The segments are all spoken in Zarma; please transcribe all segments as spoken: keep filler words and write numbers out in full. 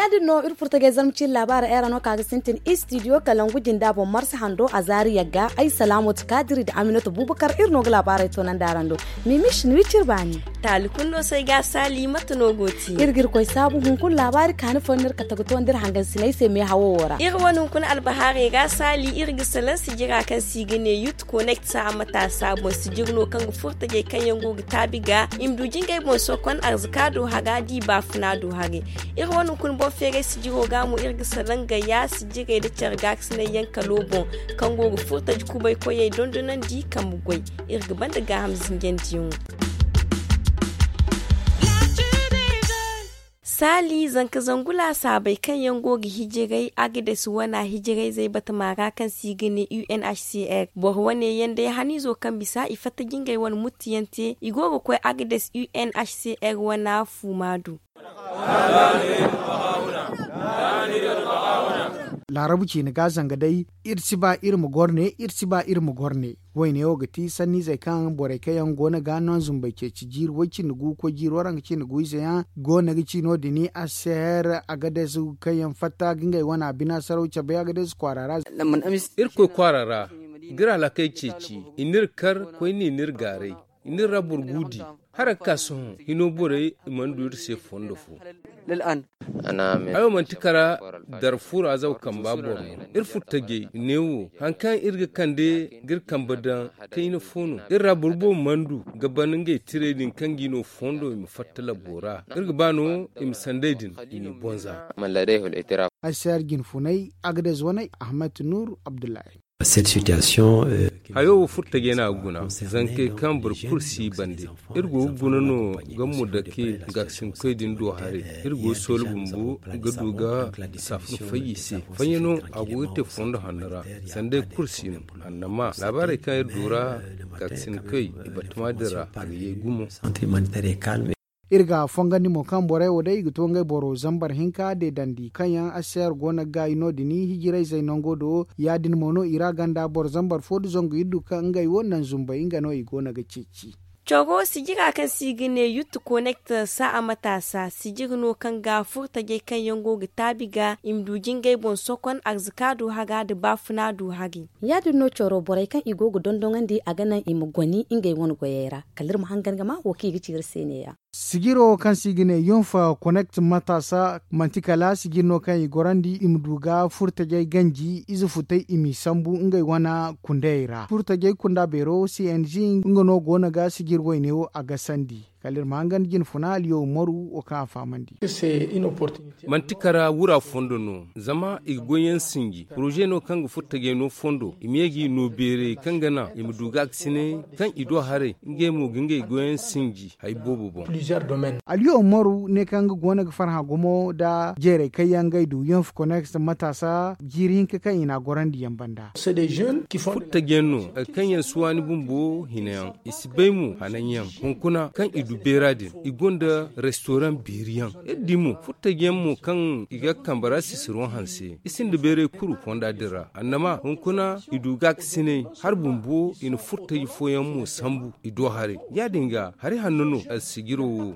Ya- din no iri furtagay zarma ciiri laabaara ay ra no ka ga sintin istidiyo kalangu jinda boŋ marsa hando a zaari yagga ay salaamatu kaadiri nda aminatu bubakar iri no ga laabaarey toonandi araŋ do. Mimis ni wiciri baani. Taali kulu no se ay ga saali mate no go ti iri ga iri koy saabu hunkuna laabaari kaani fooyaŋ no iri kate ga toonandi iri hangansiney se meehawo wo ra. Iri wane hunkuna albahaarey ga saali iri ga salaŋ sijira kaŋ se i ga ne yut konekt saaha mataasa boŋ sijiri no kaŋ ga furtajey kaŋ yaŋ go ga taabi ga i ma du jingey boŋ sokon arzaka do haga da i baafuna do haray. Iri wane hunkuna boŋ feeray sijiro ga mo iri ga salaŋ gayya sijirey nda care gaakasinay yaŋ kalo boŋ kaŋ go ga furtaji kubay koyey dondonandi kambe goy. Iri ga banda gaaham zinjandiyaŋo. Saali zanka zangu laasaabey kaŋ yaŋ go ga hijiray agades wana hijirayzey batama ra kaŋ se i ga ne unhcr boro wane yaŋ day haniizo kaŋ bisa i fatta jingay wane muttiyaŋ te i go ga koy agades unhcr wana fuuma do. Laarabu ciine ga zanga day iri si ba iri ma goro ne iri si ba iri ma goro ne. Wayne wo ga ti sanniizey kaŋ borey kaŋ yaŋ go no ga no zumbey ceeci jiiri way cindi gu koy jiiri waranka cindi gu ize yaŋ go no ga ci no- din a si her agades kaŋ yaŋ fatta ga ngey wana bina saraw cabay agades kwaara ra. Irkoy kwaara ra ga iri halakey ceeci i n'iri kar koyne n'iri gaaray i n'iri ra boro guudi. Hara ga ka sohõ hino borey i mana du iri se fondo fo. Ay wo manti kara darfur azaw kamba boro no. Iri furtajey neewo hari kaŋ iri ga kande ga iri kambe daŋ kayna fo no iri ra boro boobo mana du ga ban ngey tirey din kaŋ ga i no fondo i ma fatta labbo ra. Iri ga ba no i ma sandey din i m'i bonza. Ay se hari jinfunay agades waney ahmed nur abdullahi. Hayo wo furtajey no a ga guna zankey kaŋ boro kulu si i bande. Iri go ga guna no ga mudake gaakasinkoy din do haray. Iri go ga soolu bumbo ga du ga saafuna fay i se. Fayyaŋo a go ga te fondo hanno ra sanda ay kulu si no. Annama laabaarey kaŋ iri du ra gaakasinkoy i batama din ra a ga ye gumo. Iri ga fongandi mo kaŋ borey wo day i ga to ngey boro zambar hinka deedandi kaŋ yaŋ aseer go no ga gaayi no- din hijirayzey nango do. Ya- din mo no i ra ganda boro zambar fo nda zangu iri du kaŋ ngey wo naŋ zumbey nga no i go no ga ceeci. Coro sijira kaŋ se i ga ne yut konekt saa'a mataasa sijiri no kaŋ ga furtajey kaŋ yaŋ go ga taabi ga i ma du jingey boŋ sokon arzaka du haga nda baafuna du hari. Ya- din no coro borey kaŋ i go ga dondoŋandi a ga naŋ i ma goni ngey wane goyey ra kala iri ma hangan ga ma wo kaŋ i ga ci iri se neeya. Sijiro kaŋ se i ga ne yunfa konekt mataasa manti kala sijiri no kaŋ i gorandi i ma du ga furtajey ganji ize futey i m'i sambu ngey wane kundayey ra furtajey kunda beero cng nga no go no ga sijiri wayne wo a gasandi. Kala iri ma hangan jine funa aliyo umaru wo kaŋ a fahamandi. Manti kara wura fondo no zama i ga goyyaŋ sinji poroze no kaŋ ga furo tajey no fondo i ma ye ga i no beerey kaŋ ga naŋ i ma du gaakasinay kaŋ i do haray ngey mo ga ngey goyyaŋ sinji hari boobo boŋ. Aliyo umaru ne kaŋ ga goono ga farhã gumo nda jeerey kaŋ yaŋ ngey du yonf konex mataasa jiiri hinka kaŋ i n'a gorandi yaŋ banda. Furo taji yaŋ no hari kaŋ yaŋ si waani bumbo hina yaŋ i si bay mo hanan yaŋ hunkuna kaŋ i du beera din i gonda restoraŋ beeri yaŋ iri di mo furo taji yaŋ mo kaŋ i ga kambe ra sisiro hanse i sinda beeray kuru fonda din ra annama hunkuna i du gaakasinay hari bumbo i na furo taji fooyaŋ mo sambu i do haray ya- din ga hari hanno no alsijiro wo.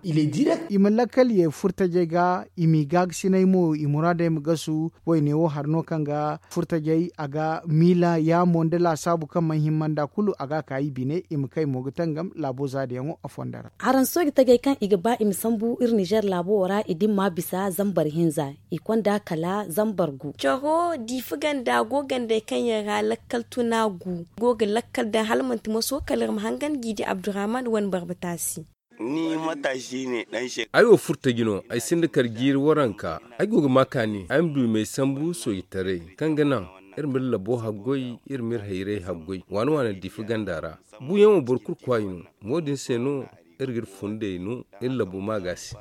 I ma lakkal ye furo tajey ga i m'i gaakasinay mo i muraadey ma gasu. Wayne wo hari no kaŋ ga furo tajey a ga miila yaamo nda laasaabu kaŋ mana hima nda kulu a ga a ka i bine i ma kay mo ga tangam laabo zaadiyaŋo a fondo ra. Araŋ sooji tajey kaŋ i ga ba i ma sambu iri nizer laabo wo ra i dimma bisa zambar hinza i konda kala zambar gu. Caro diifa ganda go gandey kaŋ yaŋ ra lakkal tuna gu go ga lakkal daŋ hala manti maso kala iri ma hangan jiidi abdurrahman wane barba taasi. Ay wo furo taji no ay sinda kala jiiri waranka. Ay go ga ma kaani ay ma du i m'ay sambu soojitaray kaŋ ga naŋ iri m'iri labo haggoy iri m'iri hayray haggoy waana waana diifa ganda ra. Buuyaŋo boro kulu kwaayi no. Mo- din se no iri g'iri fundey no iri labo ma ga se.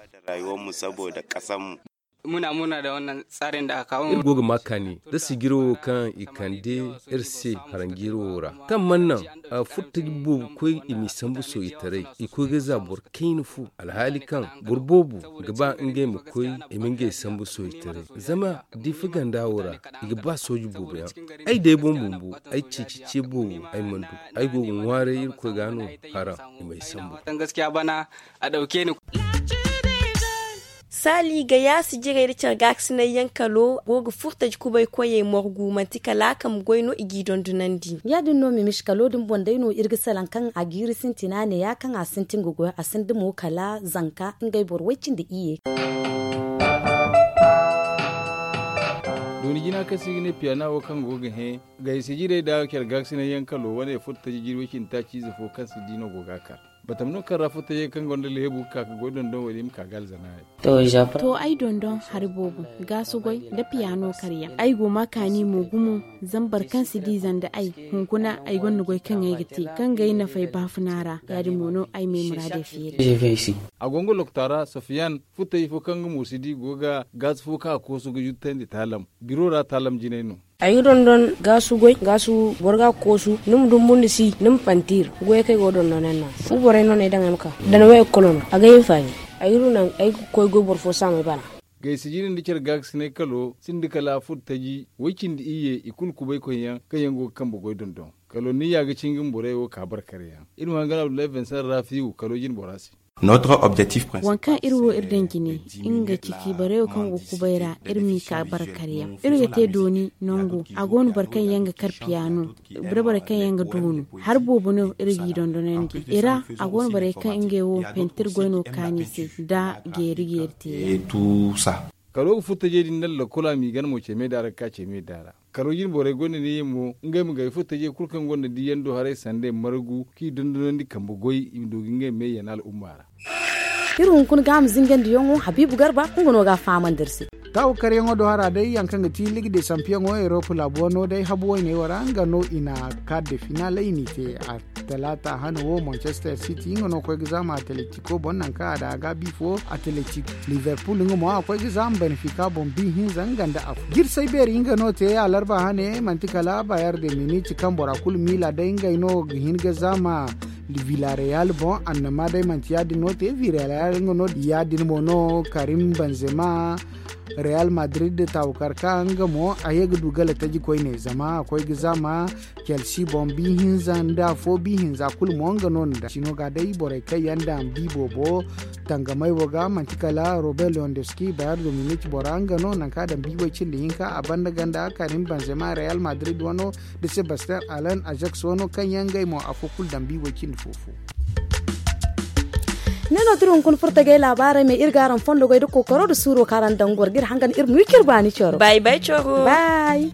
Muna muna da wannan tsarin da aka kawo. Iri go ga ma kaani da sijiro wo kaŋ i kande iri se haranjiro wo ra, kaŋ mana naŋ a furtaji boobo koy i m'i sambu sooyitaray. I koy ga za boro kayna fo, alhaali kaŋ boro boobo ga ba ngey ma koy i ma ngey sambu sooyitaray. Zama diifa ganda wo ra i ga ba sooji boobo yaŋ. Ay day boŋ bumbo ay ceeci ce boobo ay mana du. Ay go ga ŋwaaray irkoy ga no haraŋ i m'ay sambu. Saali ga yaasi jirey da care gaakasinay yaŋ kalo go ga furtaji kubay koyey morgu manti kala a kambe goy no i g'i dondonandi. Ya- din no mimis kalo din boŋ day no iri ga salaŋ kaŋ a jiiri sintina ne ya kaŋ a sintin ga goy a sinda mo kala zanka ngey boro way- cindi iyye. Dooni jina kaŋ se i ga ne piyana wo kaŋ go ga hẽ gayse jirey da care gaakasinay yaŋ kalo wane furtaji jiiri way- cindi taaci ize fo kaŋ si di no go ga a kar. Batam no kaŋ ra furtajey kaŋ gonda leebu ga ka ga goy dondon wo- din i ma ka ga alzana. To ay dondon hari boobo, gaasu goy nda piyano karyaŋ. Ay go ma kaani mo gumo, zama boro kaŋ si di zanda ay. Hunkuna ay gonda goy kaŋ ay ga te kaŋ ga ay nafay baafuna ra, ya- din mo no ay ma ay muraadey feeri. A go nga lokota ra sofiyan, furtaji fo kaŋ nga mo si di go ga gaasu fo kaŋ a koosu ga juttandi taalam. Biro ra taalam jinay no. Ay ga dondon gaasu goy gaasu boro ga koosu ni ma dumbu nda si ni ma pantir. Goyey kaŋ ay go ga dondon yaŋ no fu borey no no ay daŋ ay ma ka. Dana way ekolo no a ga ay hinfaani. Ay ga du naŋ ay ga koy goy boro fo saamey bana. Gayse jine nda care gaakasinay kalo sinda kala furtaji way- cindi iyye i kulu kubaykoy yaŋ kaŋ yaŋ go ga kambe goy dondon. Kalo ni ya ga cinga ma borey wo ka barkar yaŋ. Iri ma hangan abdullahi vincent rafiyu kalo jine bora se. Waŋ kaŋ iri wo iri daŋ jine nga ga ci ciibarey wo kaŋ go ga kubay ra. Iri m'i ka barkar yaŋ iri ga te dooni nangu a go no boro kaŋ yaŋ ga kar piyano, da borey kaŋ yaŋ ga doonu. Hari boobo no iri g'i dondonandi i ra. A go no borey kaŋ ngey wo pentir goy no kaani se nda geeri geeri te. Kalo ga furtajey din nda lakkolo a m'i gana mo ceemey da ra ga ka ceemey da ra. Kalo jine borey gonda neeyaŋ mo ngey ma gay furtajey kulu kaŋ gonda diiyaŋ do haray sanda margu k'i dondonandi kambe goy i ma du ga ngey meeyana al'umma ra. Iri hunkuna ga a ma zingandiyaŋo habiibu garba nga no ga a fahamandi iri se. Taawu karyaŋo do hara day yaŋ kaŋ ga ti liga de sampiyaŋo erop laabu wano day habu wayney wo ra nga no i na kaadde finaaley n'i te. Talaata hane wo manchester city nga no koy ga zaama atletiko boŋ nangu kaŋ a daŋ a ga a bi fo atletik. Liverpool nga mo a koy ga zaama benfica boŋ bi hinza nga nda afo jirsey beeri nga no te alarba hane manti kala bayer de minit kaŋ bora kulu miila day ngey no ga hin ga zaama. Villarreal boŋ annama day manti ya- din no te villarreal nga no ya- din mo no karim benzema. Real madrid taawukar ka nga mo a ye ga du gala taji koyne zama a koy ga zaama. Chelsea boŋ bi hinza nda afo bi hinza kulu mo nga no nda sino ga day borey kaŋ yaŋ daŋ bi boobo tangamay wo ga manti kala robert lewandowski bayar dominic bora nga no nanka daŋ bi way cindi hinka a banda ganda karim benzema real madrid wano da sebastian allen ajax wano kaŋ yaŋ ngey mo afo kulu daŋ bi way cindi fofo. Ne no turi hunkuna furtagay laabaarey me iri ga araŋ fondo goy da kookaro da suuro kaŋ araŋ daŋ goro ga iri hangan iri ma wi ciri baani coro bay bay coro bay.